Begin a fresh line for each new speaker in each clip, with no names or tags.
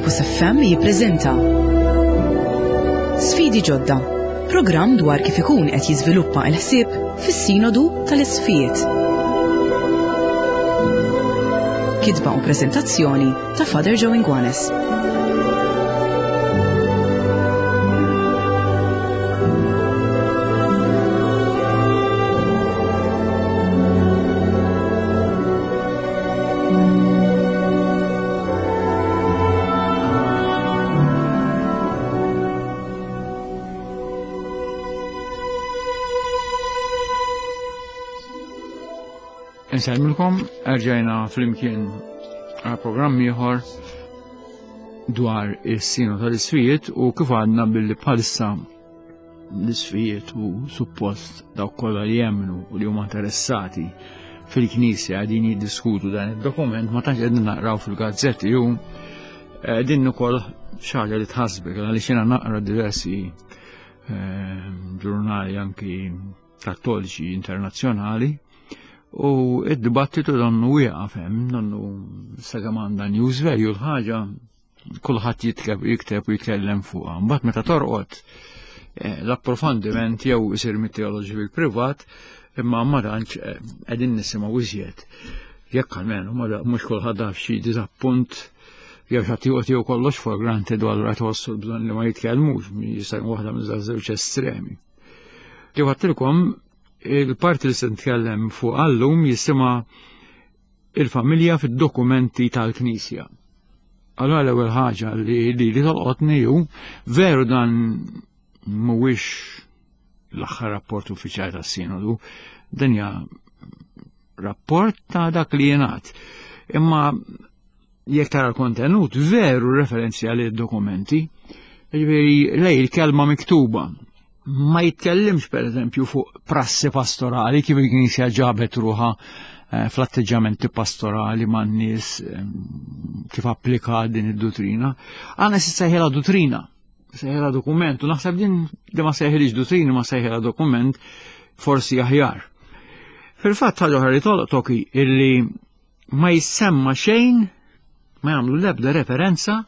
Campus FM jippreżenta Sfidi ġodda, programm dwar kif ikun qed jiżviluppa l-ħsieb fis-Sinodu tal-Isqfijiet. Kitba u preżentazzjoni ta' Father Joe Ingwanes.
Insellmilkom, erġajna flimkien għal programm ieħor dwar is-sinu tal-isfijiet u kif għadna billi bħalissa l-isfijiet u suppost dawk kollha li jemmnu u li huma interessati fil-Knisja qegħdin jiddiskutu dan id-dokument ma tantx qegħdin naqraw fil-gazzetti u eh, din ukoll xi ħaġa li tħassbek għaliex jiena naqra diversi eh, ġurnali anki kattoliċi internazzjonali u id-dibattitu donnu wieqaf hemm, donnu sakemm għandha news value l-ħaġa kulħadd jitkeb jikteb u jitkellem fuqha. Mbagħad meta torqod eh, l-approfondiment jew isir mit-teoloġi fil-privat, imma ma tantx eh, qegħdin nisimgħu iżjed. Jekk almenu mhux kulħadd daf xi diżappunt jew xi joqgħod jew kollox for granted u allura tħossu l-bżonn li ma jitkellmux, jista' waħda minn żewġ estremi. Kif għattilkom, il-parti li se nitkellem fuq għallum jisimha il-familja fid-dokumenti tal-Knisja. Allora l-ewwel ħaġa li li li tolqotni hu veru dan mhuwiex l-aħħar rapport uffiċjali tas-sinodu, din hija rapport ta' dak li jingħad. Imma jekk tara l-kontenut veru referenzja li dokumenti, ġifieri lej il-kelma miktuba. Ma jitkellimx per eżempju fuq prassi pastorali kif il-Knisja ġabet ruħa eh, fl-atteġġamenti pastorali man nies eh, kif applika din id-duttrina. Għana si sejħela duttrina, sejħela dokument, u naħseb din li ma sejħilix duttrina ma sejħela dokument forsi aħjar. Fil-fatt ħaġa oħra li tolqtok illi ma jissemma xejn, ma jagħmlu l-ebda referenza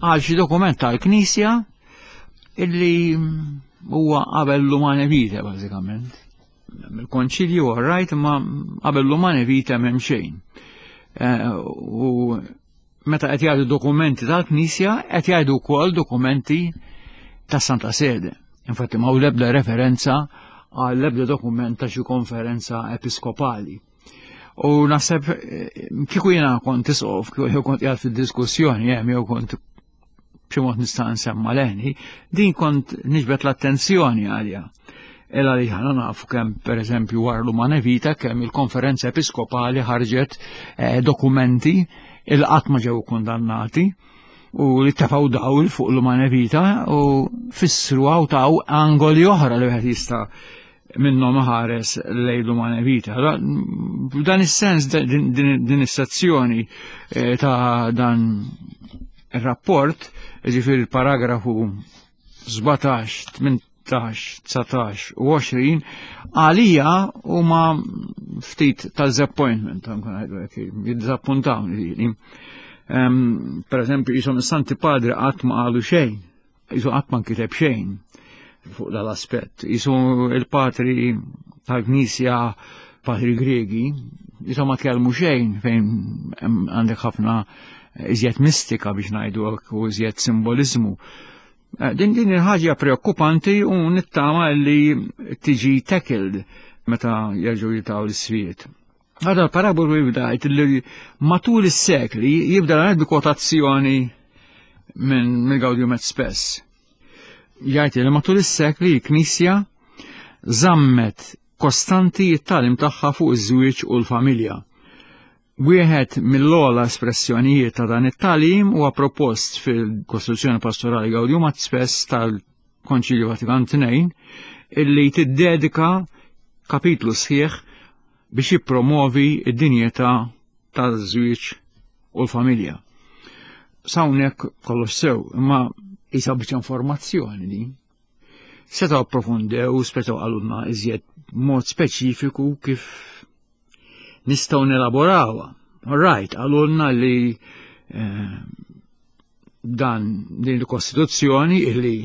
għal xi dokument tal-Knisja illi huwa qabel l-umane vita bażikament. Il-konċilju rajt ma qabel l-umane vita m'hemm xejn. Eh, u meta qed jgħidu dokumenti tal-Knisja qed jgħidu wkoll dokumenti tas Santa Sede. Infatti ma l-ebda referenza għal ebda dokument ta' xi konferenza episkopali. U naħseb eh, kieku jiena kont isqof, kieku kont qiegħed fid-diskussjoni hemm jew kont b'xi mod nista' nsemma leħni, din kont niġbed l-attenzjoni għalija. Ela li ħana nafu kemm pereżempju wara l-Umana Vita kemm il-Konferenza Episkopali ħarġet eh, dokumenti il qatt ma ġew kundannati u li tefaw dawl fuq l-Umana Vita u fissru għaw taw angoli oħra li wieħed jista' minnhom ħares lejn l-umana vita. F'dan is-sens din is-sezzjoni eh, ta' dan ir-rapport, ġifieri il-paragrafu 17, 18, 19 u 20, għalija huma ftit ta' disappointment, jiddisappuntawni. Per eżempju, jisom is-Santi Padri qatt ma qalu xejn Jisu qatt ma nkiteb xejn fuq dal-aspett. Jisu il-patri tal-Knisja, patri Gregi, jisu ma tkellmu xejn fejn għandek ħafna iżjed mistika biex ngħidu u iżjed simbolizmu. Eh, din din il-ħaġa preokkupanti u nittama li tiġi tackled meta jerġgħu jitaw l-isfijiet. Għada l-parabolu jibda li matul is-sekli jibda l bi kwotazzjoni minn mill-Gaudium et Spes. Jgħid li matul is-sekli l-Knisja żammet kostanti it-talim tagħha fuq iż-żwieġ u l-familja. Wieħed mill-ogħla espressjonijiet ta' dan it-talim huwa propost fil-Kostituzzjoni Pastorali Gaudium et Spes tal-Konċilju Vatikan II illi tiddedika kapitlu sħiħ biex jippromovi d-dinjità taż-żwieġ u l-familja. Sawnek kollox sew, imma jisa biċ informazzjoni din. Setgħu approfondew, setgħu qalulna iżjed mod speċifiku kif nistgħu nelaborawha. All right, qalulna li eh, dan din il-Kostituzzjoni illi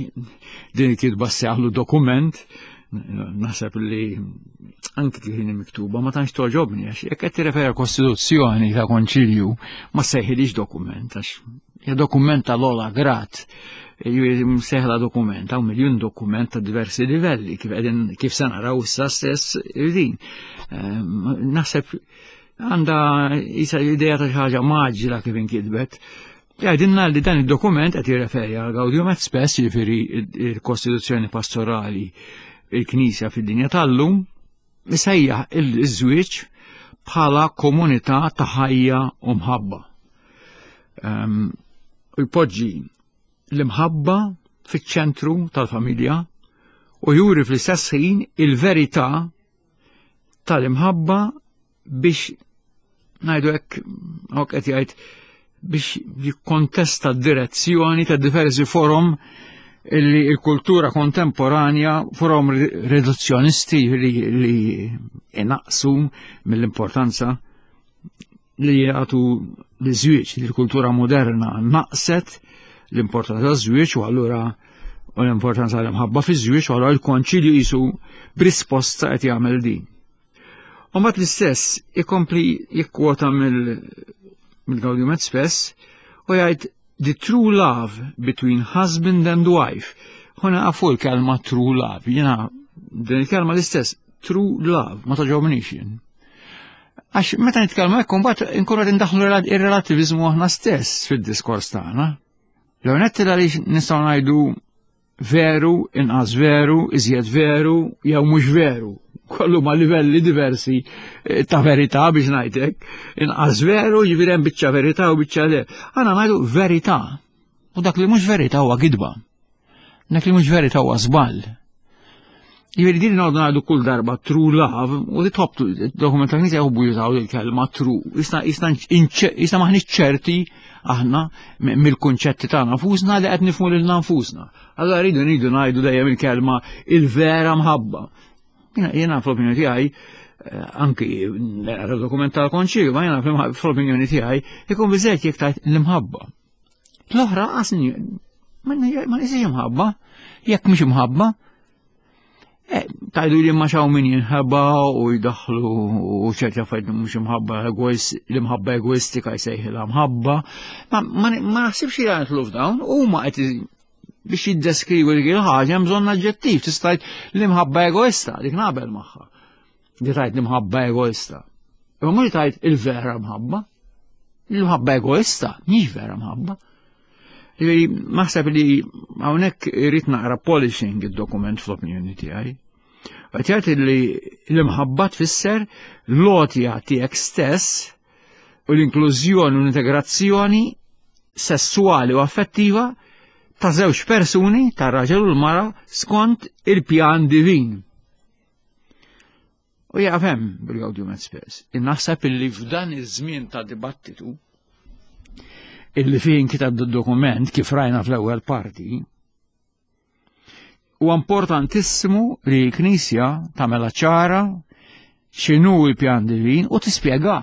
din il-kitba seħlu dokument naħseb li anki kif miktuba ma tantx toġobni għax jekk qed tirreferi Kostituzzjoni ta' Konċilju ma sejħilix dokument għax hija dokument tal-ola grad seħla dokument hawn miljun dokument ta' diversi livelli kif qegħdin kif se naraw issa stess din. Ehm, naħseb għandha isa l-idea ta' xi ħaġa maġla kif inkitbet. Jgħidilna li dan id-dokument qed jirreferi għal Gaudium et Spes, jiġifieri il-Kostituzzjoni Pastorali il-Knisja fid-dinja tal-lum, isejjaħ il-żwieġ bħala komunità ta' ħajja u mħabba. Ehm, u jpoġġi l-imħabba fiċ-ċentru tal-familja u juri fl-istess ħin il-verità tal-imħabba biex ngħidu hekk hawn qed jgħid biex jikkontesta d-direzzjoni ta' diversi forum illi il-kultura kontemporanja forum riduzzjonisti li, li inaqsu mill-importanza li jagħtu li żwieġ li l-kultura moderna naqset l-importanza taż-żwieġ u allura u l-importanza l-imħabba fiż-żwieġ u allura l-konċilju jisu b'risposta qed jagħmel din. U mbagħad l-istess ikompli jikkwota mill-Gaudium et Spes u jgħid the true love between husband and wife. Huna għafu l-kelma true love, jena din il-kelma l-istess, true love, ma taġobnix jien. Għax meta nitkellmu hekk imbagħad inkunu qed indaħħlu ir-relativizmu aħna stess fid-diskors tagħna. L-għonet għaliex nistgħu ngħidu veru, inqas veru, iżjed veru, jew mhux veru. Kollu ma' livelli diversi eh, ta' verità biex ngħidlek. Inqas veru, jiġifieri hemm biċċa verità u biċċa le. Għana ngħidu verità. U dak li mhux verità huwa gidba. Dak li mhux verità huwa żball. Jiġifieri din noqgħdu ngħidu kull darba true love u li tħobb dokument tal-Knisja jħobbu jużaw il-kelma true. Isna isna isna maħniex ċerti aħna mill-kunċetti tagħna nfusna li qed nifhmu lilna nfusna. Allora rridu ngħidu ngħidu dejjem il-kelma il-vera mħabba. Jiena fl-opinjoni tiegħi eh, anki dokument tal-konċilju, ma jiena fl-opinjoni tiegħi ikun biżejjed jekk tajt l-imħabba. L-oħra qasni ma nisiex imħabba, jekk mhix imħabba, eh, tajdu li ma xaw min jinħabba u jdaħlu u ċerti affarijiet mhux imħabba l-imħabba egoistika jsejħilha mħabba. Ma naħsibx li għandlu f'dawn huma qed biex jiddeskrivu dik il-ħaġa hemm bżonn aġġettiv, tista' l-imħabba egoista, dik naqbel magħha. Di tajt l-imħabba egoista. Imma mhux tajt il-vera mħabba. L-imħabba egoista mhix vera mħabba. Naħseb li hawnhekk irid naqra polishing id-dokument fl-opinjoni tiegħi. Qed jgħid li l-imħabba tfisser l-għotja tiegħek stess u l-inklużjoni u l-integrazzjoni sessuali u affettiva ta' żewġ persuni, ta' raġel u l-mara, skont il-pjan divin. U jaqaf hemm bil-Gaudium et Spes. Naħseb illi f'dan iż-żmien ta' dibattitu illi fih inkitab dokument kif rajna fl-ewwel parti, huwa importantissimu li l-Knisja tagħmela ċara x'inhu l-pjan divin u tispjega.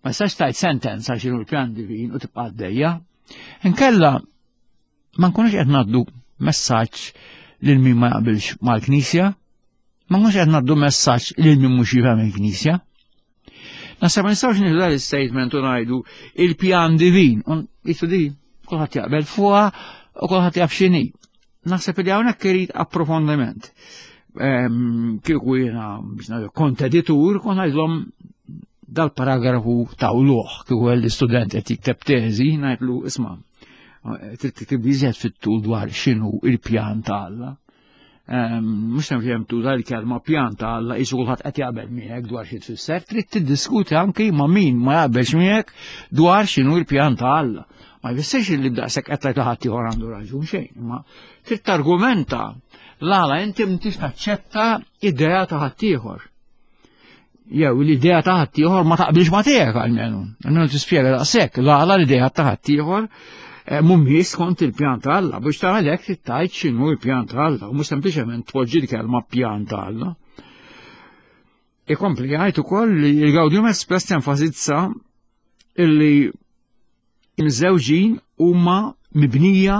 Ma tistax tajt sentenza x'inhu l-pjan divin u tibqa' għaddejja. Inkella ma nkunux qed ngħaddu messaġġ lil min ma jaqbilx mal-Knisja, ma nkunux qed ngħaddu messaġġ lil min mhux jifhem il-Knisja. Naħseb ma nistgħux nieħdu dan is-statement u ngħidu il-pjan divin. Jisu di, kulħadd jaqbel fuqha u kulħadd jaf x'inhi. Naħseb li hawnhekk irid approfondiment. Ehm, kieku jiena biex ngħidu kont editur, kont ngħidlhom dal-paragrafu ta' uluħ kieku l-istudent qed jikteb teżi ngħidlu isma' trid tiktib iżjed fit-tul dwar x'inhu il-pjan ta' Alla. Ehm, mhux hemm tuża l-kelma pjan ta' Alla qisu kulħadd qed jaqbel miegħek dwar xi tfisser, trid tiddiskuti anki ma' min ma jaqbelx miegħek dwar x'inhu l-pjan ta' Alla. Ma jfissirx li b'daqshekk qed tgħid li ħadd ieħor għandu raġun xejn, imma trid targumenta l-għala inti m'intix taċċetta idea ta' ħaddieħor jew l-idea ta' ħaddieħor ma taqbilx ma tiegħek almenu. Almenu tispjega daqshekk l-għala l-idea ta' ħaddieħor eh, mhumiex skont il-pjan ta' Alla biex tagħmel hekk trid tgħid x'inhu l-pjan ta' Alla u mhux sempliċement tpoġġi l-kelma pjan ta' Alla. Ikompli jgħid ukoll li l-Gaudium Express tenfasizza illi Miżżewġin huma mibnija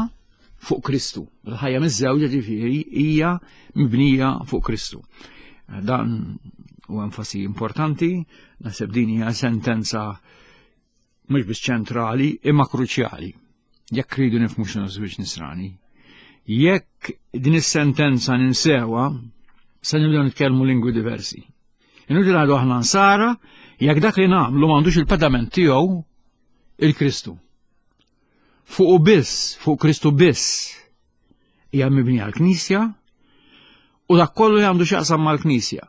fuq Kristu. Il-ħajja miżżewġa ġifieri hija mibnija fuq Kristu. Dan u enfasi importanti, naħseb din hija sentenza mhux biss ċentrali imma kruċjali. Jekk rridu nifhmu x'inhu żwieġ nisrani. Jekk din is-sentenza ninsewa, se nibdew nitkellmu lingwi diversi. Inutli ngħidu aħna nsara jekk dak li nagħmlu m'għandux il-pedament tiegħu il-Kristu. Fuq biss, fuq Kristu biss hija mibnija l-Knisja u dak kollu li għandu x'jaqsam mal-Knisja.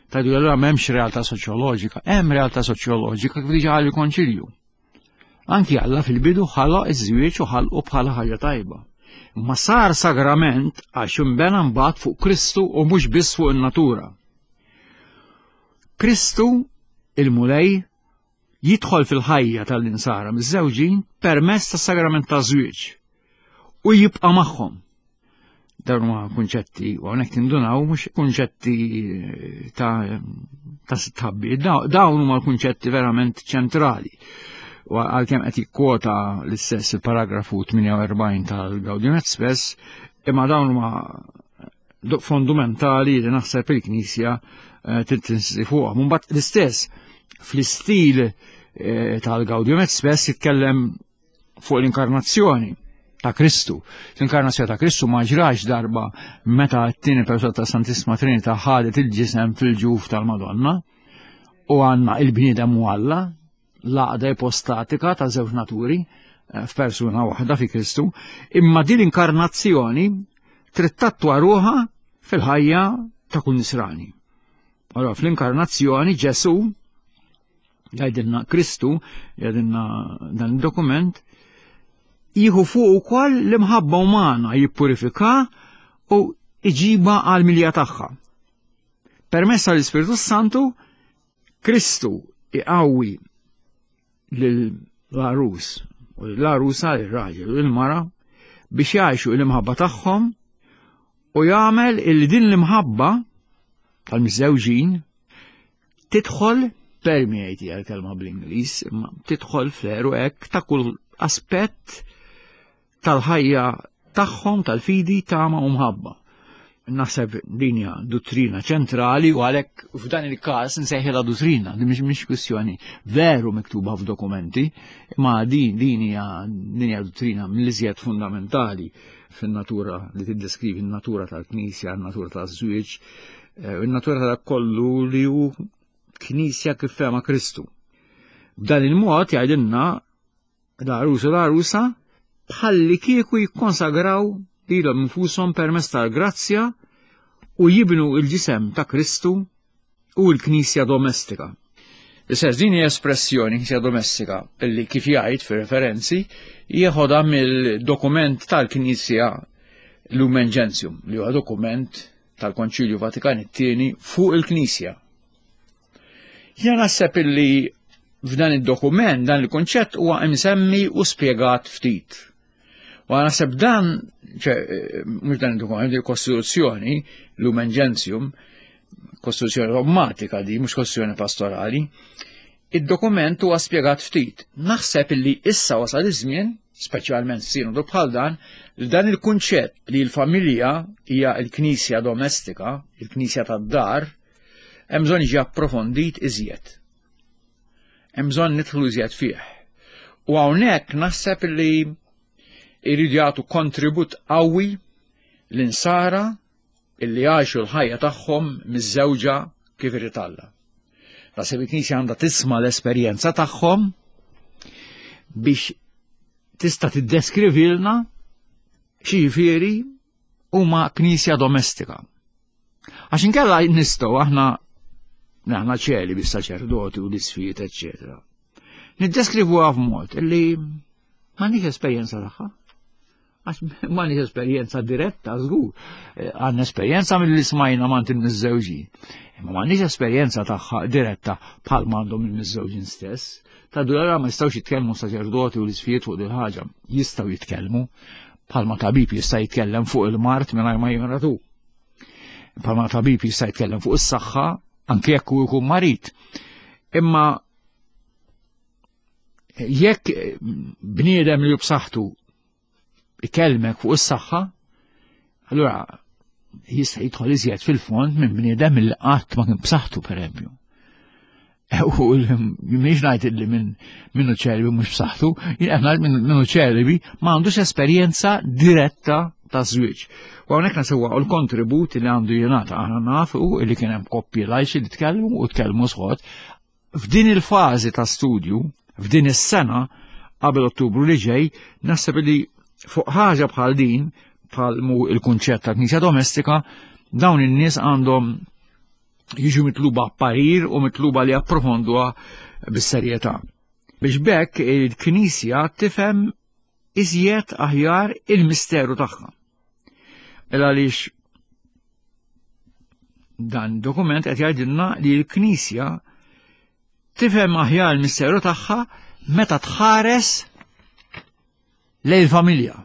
Tajdu allura m'hemmx realtà soċjoloġika, hemm realtà soċjoloġika kif diġà qal il-Konċilju. Anki Alla fil-bidu ħaloq iż-żwieġ u ħalqu bħala ħaġa tajba. Ma sar sagrament għax imbena mbagħad fuq Kristu u mhux biss fuq in-natura. Kristu il-Mulej jidħol fil-ħajja tal-insara miż-żewġin permezz tas-sagrament taż-żwieġ u jibqa' magħhom. Dawn huma kunċetti u hawnhekk tindunaw mhux kunċetti eh, ta' ta' stabbi, dawn huma l-kunċetti verament ċentrali. U għalkemm qed jikkwota l-istess il-paragrafu 48 tal-Gaudium et Spes, imma dawn huma fondamentali li naħseb il-Knisja eh, tinsisti fuqhom. Mbagħad l-istess fl-istil eh, tal-Gaudium et Spes jitkellem fuq l-inkarnazzjoni ta' Kristu. L-inkarnazzjoni ta' Kristu ma ġrax darba meta t-tieni persuna ta' Santissima Trinità ħadet il-ġisem fil-ġuf tal-Madonna u għandna il-bniedem u Alla, l-għaqda ipostatika ta' żewġ naturi eh, f'persuna waħda fi Kristu, imma din l-inkarnazzjoni trid tattwa ruħha fil-ħajja ta' kull nisrani. Allora fl-inkarnazzjoni Ġesu jgħidilna Kristu, jgħidilna dan il-dokument, jieħu fuq ukoll l-imħabba umana jippurifika u iġiba għal milja tagħha. Permezz tal-Ispirtu Santu, Kristu iqawwi lill-għarus u l-għarusa l-raġel u l-mara biex jgħixu l-imħabba tagħhom u jagħmel il din l-imħabba tal-miżżewġin tidħol permeate hija l-kelma bl-Ingliż, imma tidħol fl hekk ta' kull aspett tal-ħajja tagħhom tal-fidi tama u mħabba. Naħseb din hija duttrina ċentrali u għalhekk f'dan il-każ nsejħilha duttrina, din mhix mhix kwistjoni veru miktuba f'dokumenti, imma din din hija din hija duttrina mill-iżjed fundamentali fin-natura li tiddeskrivi n-natura tal-Knisja, n-natura taż-żwieġ, eh, n-natura ta' kollu li hu Knisja kif fema Kristu. B'dan il-mod jgħidilna l-għarus u l-għarusa bħalli kieku jikkonsagraw lilhom infushom permezz tal-grazzja u jibnu il-ġisem ta' Kristu u l-Knisja domestika. L-istess din hija espressjoni Knisja domestika illi kif jgħid fir-referenzi jeħodha mill-dokument tal-Knisja Lumen Gentium li huwa dokument tal-Konċilju Vatikan it-tieni fuq il-Knisja. Jiena naħseb illi f'dan id-dokument dan il-kunċett huwa imsemmi u spjegat ftit. U naħseb dan, ċe, mhux dan id-dokument, il-Kostituzzjoni, Lumen Gentium, Kostituzzjoni dogmatika di, mhux Kostituzzjoni pastorali, id-dokument huwa spjegat ftit. Naħseb illi issa wasal iż-żmien, speċjalment sinodu bħal dan, li dan il-kunċett li l-familja hija l-knisja domestika, il-knisja tad-dar, hemm bżonn jiġi approfondit iżjed. Hemm bżonn nidħlu iżjed fih. U hawnhekk naħseb li jridu jagħtu kontribut qawwi l-insara illi għaxu l-ħajja tagħhom miż-żewġa kif irid Alla. Naħseb il-Knisja għandha tisma' l-esperjenza tagħhom biex tista' tiddeskrivilna xi huma knisja domestika. Għax inkella nistgħu aħna aħna ċeli bis-saċerdoti u l-isfijiet, eċċetera. Niddeskrivuha f'mod illi m'għandix esperjenza tagħha. Għax m'għandix esperjenza diretta, żgur. Eh, għandna esperjenza mill-li smajna m'għand il-miżżewġin. Imma m'għandix esperjenza tagħha diretta bħal m'għandhom il-miżżewġin stess. Ta' dura ma jistgħux jitkellmu saċerdoti u l-isfijiet fuq dil ħaġa. Jistgħu jitkellmu bħalma tabib jista' jitkellem fuq il-mart mingħajr ma jimratu. Bħalma tabib jista' jitkellem fuq is-saħħa anke jekk hu jkun marid. Imma Jekk bniedem li b'saħħtu ikellmek fuq is-saħħa, allura jista' jidħol iżjed fil-fond minn bniedem li qatt ma kien b'saħħtu pereżempju. U mhix ngħid li minn minnu ċerbi mhux b'saħħtu, jien qed ngħid minnu ċerbi ma għandux esperjenza diretta ta' żwieġ. U hawnhekk nasewwa l-kontribut li għandu jingħata aħna nafu li kien hemm koppji lajxi li tkellmu u tkellmu sħod F'din il-fażi ta' studju, f'din is-sena, qabel Ottubru li ġej, naħseb li fuq ħaġa bħal din, bħal mu il-kunċett ta' knisja domestika, dawn in-nies għandhom jiġu mitluba parir u mitluba li approfonduha bis-serjetà. Biex bekk il-Knisja tifhem iżjed aħjar il-misteru tagħha. Il għaliex dan dokument qed jgħidilna li l-Knisja tifhem aħjar il-misteru tagħha meta tħares lejn il-familja.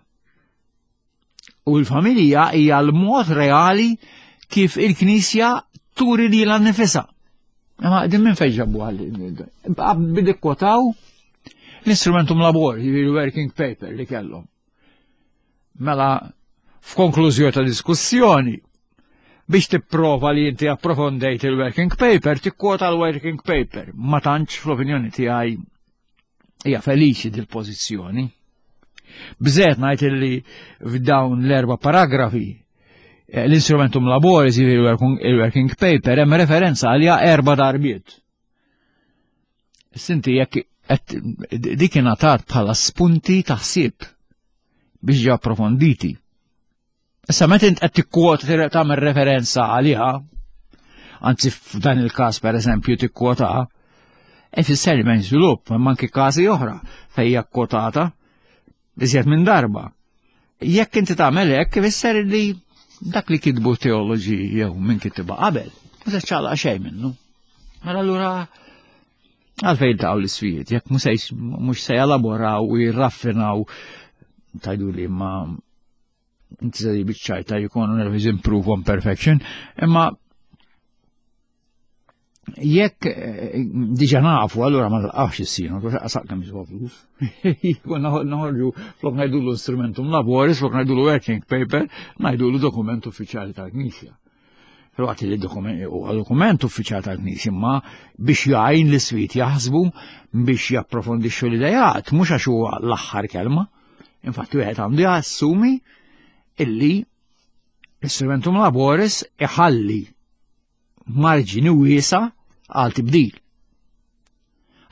U l-familja hija l-mod reali kif il-Knisja turi li l-nifisa. Ma din minn fejn ġabu għal bidi kwotaw l-instrumentum labor, il-working paper li kellhom. Mela, f'konklużjoni ta' diskussjoni, biex tipprova li inti approfondejt il-working paper, tikkwota l-working paper. Ma tantx fl-opinjoni tiegħi hija feliċi dil-pożizzjoni. Bżet ngħid illi f'dawn l-erba' paragrafi eh, l-instrumentum laboris, il-working paper, hemm referenza għalija erba' darbiet. Sinti jekk dik ingħatat bħala spunti ta' ħsieb biex ġew approfonditi. Issa meta int qed tikkwota tagħmel referenza għaliha, anzi f'dan il-każ pereżempju tikkwota, ifisser li m'hemm żvilupp, imma anki każi oħra fejn hija kkwotata iżjed minn darba. Jekk inti tagħmel hekk ifisser li dak li kitbu teoloġi jew minn kitibha qabel, ma se ċaqlaq xejn minnu. Mela allura għalfejn ta' l-isfijiet, jekk mhux se jelaboraw u jirraffinaw tajdu li ma inti se biċ-ċajta jkunu nervous improve on perfection, imma jekk eh, diġa nafu, allura ma nlaqax is-sinu, għax qasaq kemm jiswa flus. Konna noħorġu flok ngħidulu instrumentum laboris, flok ngħidulu working paper, ngħidulu dokument uffiċjali tal-Knisja. Filwaqt li dokument huwa dokument uffiċjali tal-Knisja, imma biex jgħin l-iswit jaħsbu biex japprofondixxu l-idejat, mhux għax huwa l-aħħar kelma. Infatti wieħed għandu jassumi illi l-instrumentum laboris iħalli marġini wiesa għal tibdil.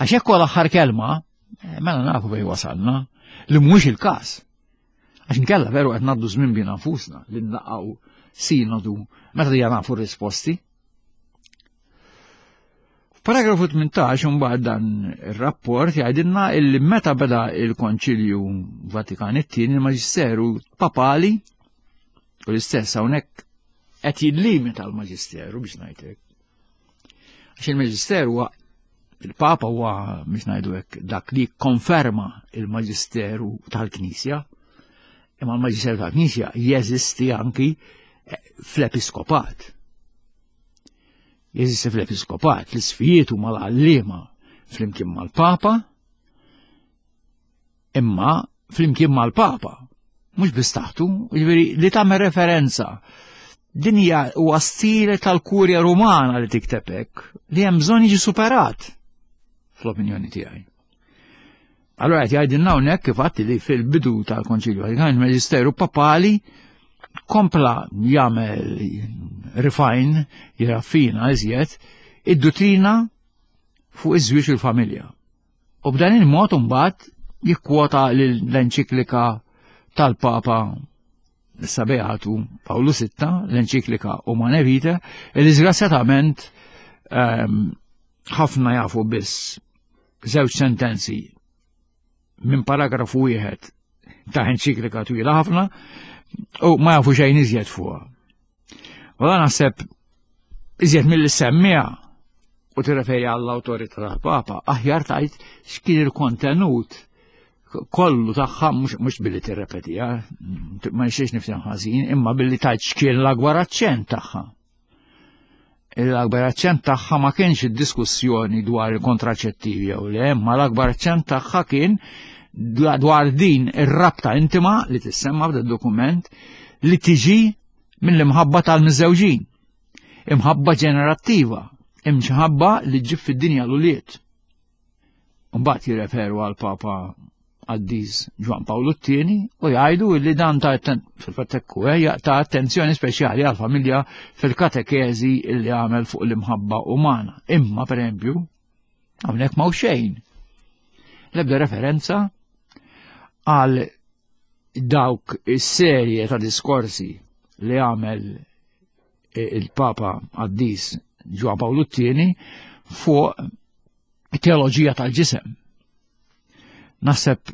Għax jekk l-aħħar kelma, eh, mela nafu fej wasalna, li mhux il-każ. Għax nkella veru qed ngħaddu żmien bina nfusna li nlaqgħu sinodu meta dija nafu r-risposti. F'paragrafu 18 imbagħad dan ir-rapport jgħidilna illi meta beda il-Konċilju Vatikan it-tieni il-Maġisteru Papali u l-istess hawnhekk qed jillimita l-Maġisteru biex ngħidlek. Għax il-Maġisteru huwa il-Papa huwa biex ngħidu hekk dak li konferma il-Maġisteru tal-Knisja, imma l-Maġisteru tal-Knisja jeżisti anki eh, fl-Episkopat. Jeżisti fl-episkopat, l-isfijiet huma l-għalliema flimkien mal-Papa, imma flimkien mal-Papa, mhux biss taħtu, jiġifieri li tagħmel referenza. Din hija huwa stile tal-Kurja Rumana li tikteb hekk, li hemm bżonn jiġi superat fl-opinjoni tiegħi. Allora qed jgħidilna hawnhekk kif għatti li fil-bidu tal-Konċilju Vatikan il-Maġisteru Papali kompla jagħmel refine, jiraffina iżjed id-duttrina fuq iż-żwieġ u l-familja. U b'dan il-mod imbagħad jikkwota l-enċiklika tal-Papa issa Beatu Pawlu VI, l-enċiklika Umane Vitae, li disgrazzjatament ehm, ħafna jafu biss żewġ sentenzi minn paragrafu wieħed ta' enċiklika twila ħafna u ma jafu xejn iżjed fuqha. U dan naħseb iżjed mill semmija u tirreferi għall-awtorità tal-Papa, aħjar tajt x'kien il-kontenut kollu tagħha mhux billi tirrepetiha, ma nixtiex nifhem ħażin, imma billi tajt x'kien l-akbar aċċent tagħha. L-akbar aċċent tagħha ma kienx id-diskussjoni dwar il-kontraċettivi jew le, ma l-akbar aċċent tagħha kien dwar din ir-rabta intima li tissemma f'dan dokument li tiġi mill-imħabba tal-miżewġin. Imħabba ġenerattiva, imħabba li ġib fid-dinja l-ulied. Mbagħad jirreferu għal Papa Qaddis Ġwan Pawlu t-tieni u jgħidu li dan ta' fil-fatt hekk eh, ta' attenzjoni speċjali għal familja fil-katekeżi li għamel fuq l-imħabba umana. Imma pereżempju, hawnhekk ma' xejn. L-ebda referenza għal dawk is-serje ta' diskorsi li għamel il-Papa Qaddis Ġwan Pawlu t-tieni fuq teoloġija tal-ġisem. Naħseb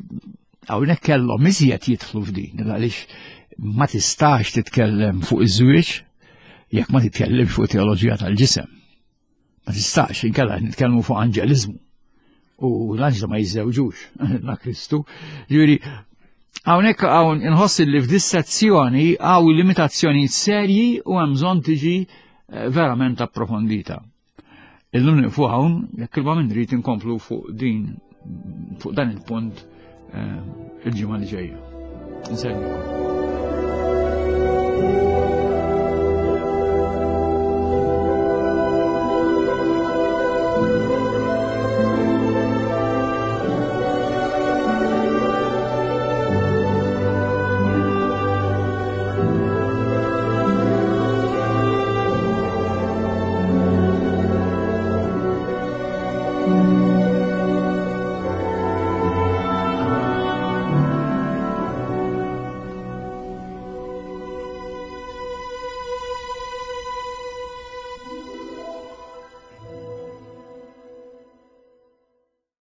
hawnhekk kellhom iżjed jidħlu f'din għaliex ma tistax titkellem fuq iż-żwieġ jekk ma titkellimx fuq teoloġija tal-ġisem. Ma tistax inkella nitkellmu fuq anġeliżmu. U l-anġlu ma jiżżewġux la Kristu. Ġifieri hawnhekk hawn inħoss li f'dis-sezzjoni hawn limitazzjonijiet serji u hemm bżonn tiġi eh, verament approfondita. Illum nieqfu hawn, jekk il minn rrid inkomplu fuq din fuq dan il-punt eh, il-ġimgħa li ġejja. Insellmilkom.